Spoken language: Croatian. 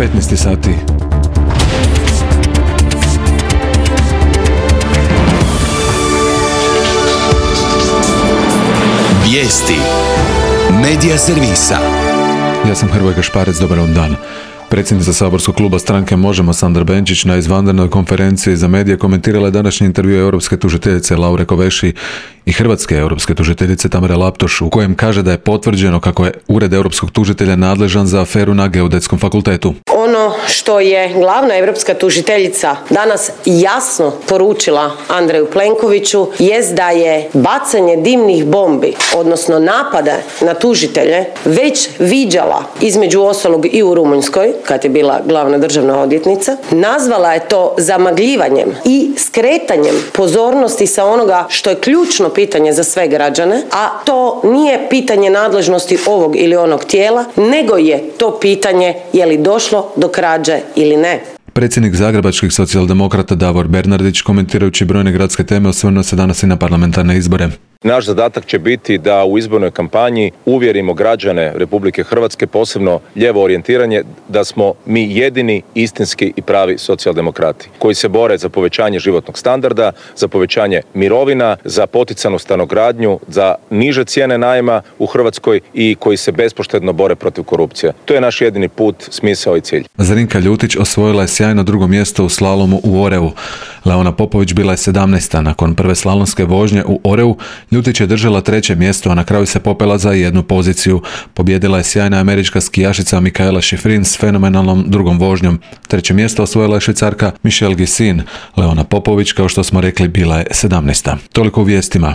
15 sati. Vijesti Medija servisa. Ja sam Hrvoje Gašparec, dobar vam dan. Predsjednica saborskog kluba stranke Možemo Sandra Benčić na izvanrednoj konferenciji za medije komentirala je današnji intervju europske tužiteljice Laure Kovesi i hrvatske europske tužiteljice Tamare Laptoš, u kojem kaže da je potvrđeno kako je Ured europskog tužitelja nadležan za aferu na Geodetskom fakultetu. Ono što je glavna europska tužiteljica danas jasno poručila Andreju Plenkoviću jest da je bacanje dimnih bombi, odnosno napada na tužitelje, već viđala između ostalog i u Rumunjskoj, kad je bila glavna državna odvjetnica. Nazvala je to zamagljivanjem i skretanjem pozornosti sa onoga što je ključno pitanje za sve građane, a to nije pitanje nadležnosti ovog ili onog tijela, nego je to pitanje je li došlo do krađe ili ne. Predsjednik zagrebačkih socijaldemokrata Davor Bernardić, komentirajući brojne gradske teme, osvrnuo se danas i na parlamentarne izbore. Naš zadatak će biti da u izbornoj kampanji uvjerimo građane Republike Hrvatske, posebno lijevo orijentiranje, da smo mi jedini istinski i pravi socijaldemokrati koji se bore za povećanje životnog standarda, za povećanje mirovina, za poticanu stanogradnju, za niže cijene najma u Hrvatskoj i koji se bespoštedno bore protiv korupcije. To je naš jedini put, smisao i cilj. Zrinka Ljutić osvojila je sjajno drugo mjesto u slalomu u Oreu. Leona Popović bila je 17. Nakon prve slalomske vožnje u Oreu, Ljutić je držala 3. mjesto, a na kraju se popela za 1 poziciju. Pobjedila je sjajna američka skijašica Mikaela Shiffrin s fenomenalnom drugom vožnjom. 3. mjesto osvojila je Švicarka Michelle Ghissin. Leona Popović, kao što smo rekli, bila je 17. Toliko u vijestima.